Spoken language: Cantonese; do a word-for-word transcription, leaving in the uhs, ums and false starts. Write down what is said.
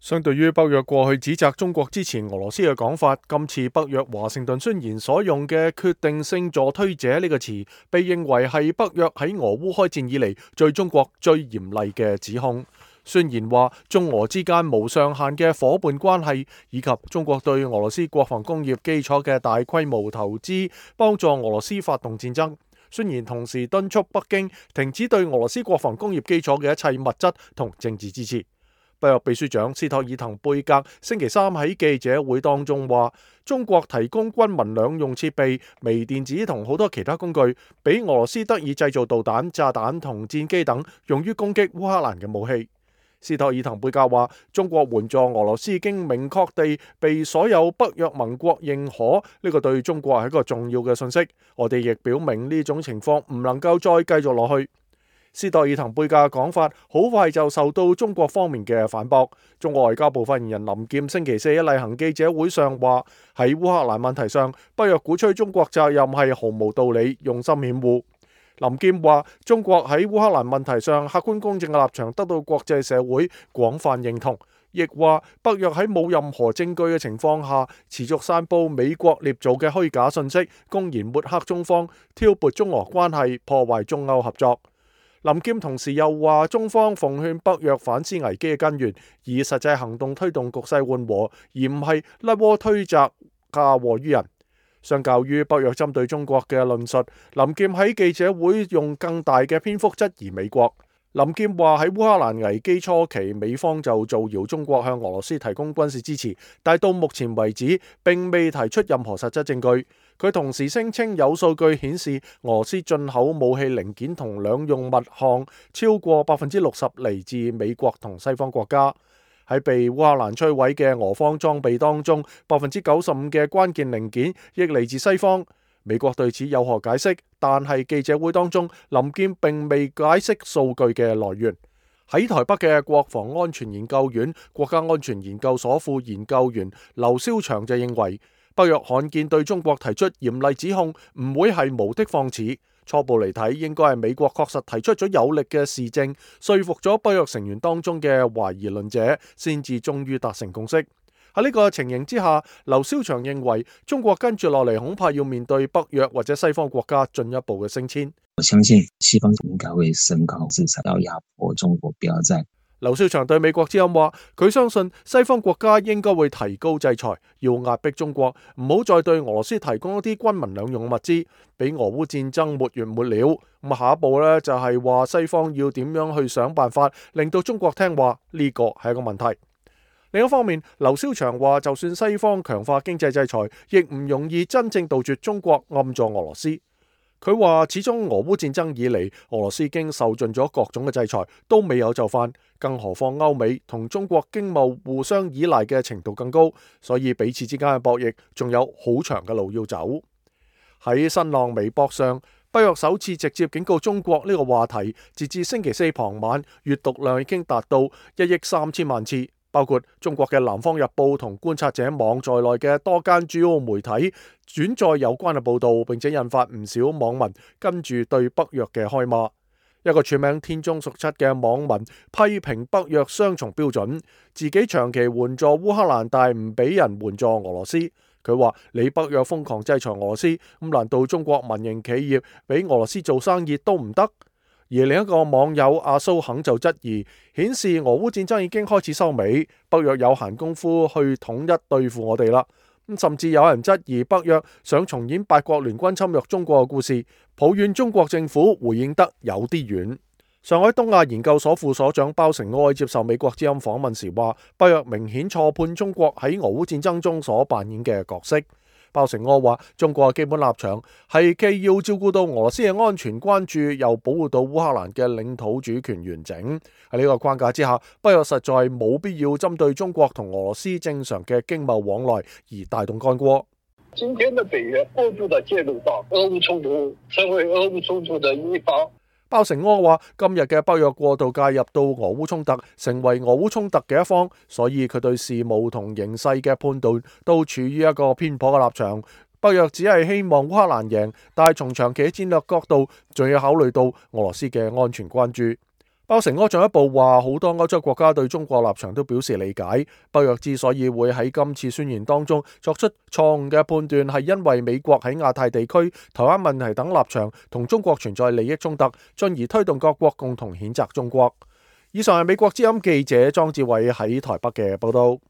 相對於北約過去指責中國支持俄羅斯嘅講法，今次北約華盛頓宣言所用嘅決定性助推者呢個詞，被認為係北約喺俄烏開戰以嚟對中國最嚴厲嘅指控。宣言話，中俄之間無上限嘅伙伴關係，以及中國對俄羅斯國防工業基礎嘅大規模投資，幫助俄羅斯發動戰爭。宣言同時敦促北京停止對俄羅斯國防工業基礎嘅一切物質同政治支持。北約秘書長斯托爾滕貝格星期三喺記者會當中話，中國提供軍民兩用設備、微電子同好多其他工具，俾俄羅斯得以製造導彈、炸彈同戰機等用於攻擊烏克蘭嘅武器。斯托爾滕貝格話，中國援助俄羅斯已經明確地被所有北約盟國認可，呢個對中國係一個重要嘅信息。我哋亦表明呢種情況唔能夠再繼續落去。斯托爾滕貝格嘅講法好快就受到中國方面嘅反駁。中國外交部發言人林劍星期四喺例行記者會上話，喺烏克蘭問題上，北約鼓吹中國責任係毫無道理、用心險惡。林劍話，中國喺烏克蘭問題上客觀公正嘅立場得到國際社會廣泛認同，亦話北約喺冇任何證據嘅情況下，持續散佈美國捏造嘅虛假信息，公然抹黑中方，挑撥中俄關係，破壞中歐合作。林劍同時又話，中方奉勸北約反思危機嘅根源，以實際行動推動局勢緩和，而唔係甩鍋推責、嫁禍於人。相較於北約針對中國嘅論述，林劍喺記者會用更大嘅篇幅質疑美國。林劍話，喺烏克蘭危機初期，美方就造謠中國向俄羅斯提供軍事支持，但到目前為止並未提出任何實質證據。佢同時聲稱有數據顯示，俄羅斯進口武器零件同兩用物項超過百分之六十嚟自美國同西方國家。喺被烏克蘭摧毀嘅俄方裝備當中，百分之九十五嘅關鍵零件亦嚟自西方。美國對此有何解釋？但係記者會當中，林劍並未解釋數據嘅來源。喺台北嘅國防安全研究院國家安全研究所副研究員劉蕭祥就認為，北約罕見對中國提出嚴厲指控，唔會係無的放矢。初步嚟睇，應該係美國確實提出咗有力嘅事證，說服咗北約成員當中嘅懷疑論者，先至終於達成共識。喺呢個情形之下，劉蕭祥認為中國跟住落嚟恐怕要面對北約或者西方國家進一步嘅升遷。我相信西方應該會升高制裁，要壓迫中國，不要再。劉少祥對美國之音話，佢相信西方國家應該會提高制裁，要壓迫中國，唔好再對俄羅斯提供一啲軍民兩用物資，俾俄烏戰爭沒完沒了。咁下一步呢，就係話西方要點樣去想辦法令到中國聽話，呢個係一個問題。另一方面，劉少祥話，就算西方強化經濟制裁，亦唔容易真正杜絕中國暗助俄羅斯。佢話，始終俄烏戰爭以嚟，俄羅斯已經受盡咗各種嘅制裁，都未有就範，更何況歐美同中國經貿互相依賴嘅程度更高，所以彼此之間嘅博弈仲有好長嘅路要走。喺新浪微博上，北約首次直接警告中國呢個話題，截至星期四傍晚，閱讀量已經達到一億三千萬次。包括中國嘅南方日報同觀察者網在內嘅多間主要媒體轉載有關嘅報導，並且引發唔少網民跟住對北約嘅開罵。一個署名天中屬七嘅網民批評北約雙重標準，自己長期援助烏克蘭，但唔俾人援助俄羅斯。佢話：你北約瘋狂制裁俄羅斯，咁難道中國民營企業俾俄羅斯做生意都唔得？而另一個網友阿蘇肯就質疑，顯示俄烏戰爭已經開始收尾，北約有閒功夫去統一對付我哋啦。咁甚至有人質疑北約想重演八國聯軍侵略中國嘅故事，抱怨中國政府回應得有啲遠。上海東亞研究所副所長包成愛接受美國之音訪問時話，北約明顯錯判中國喺俄烏戰爭中所扮演嘅角色。包成柯話，中國嘅基本立場係既要照顧到俄羅斯嘅安全關注，又保護到烏克蘭嘅領土主權完整。喺呢個框架之下，北約實在冇必要針對中國同俄羅斯正常嘅經貿往來而帶動干戈。今天的北約過度的介入到俄烏衝突，成為俄烏衝突的一方。包成柯話，今日嘅北約過度介入到俄烏衝突，成為俄烏衝突嘅一方，所以佢對事務同形勢嘅判斷都處於一個偏頗嘅立場。北約只係希望烏克蘭贏，但係從長期戰略角度，仲要考慮到俄羅斯嘅安全關注。鮑成柯進一步話，好多歐洲國家對中國立場都表示理解。北約之所以會喺今次宣言當中作出錯誤嘅判斷，係因為美國喺亞太地區、台灣問題等立場同中國存在利益衝突，進而推動各國共同譴責中國。以上係美國之音記者莊志偉喺台北嘅報道。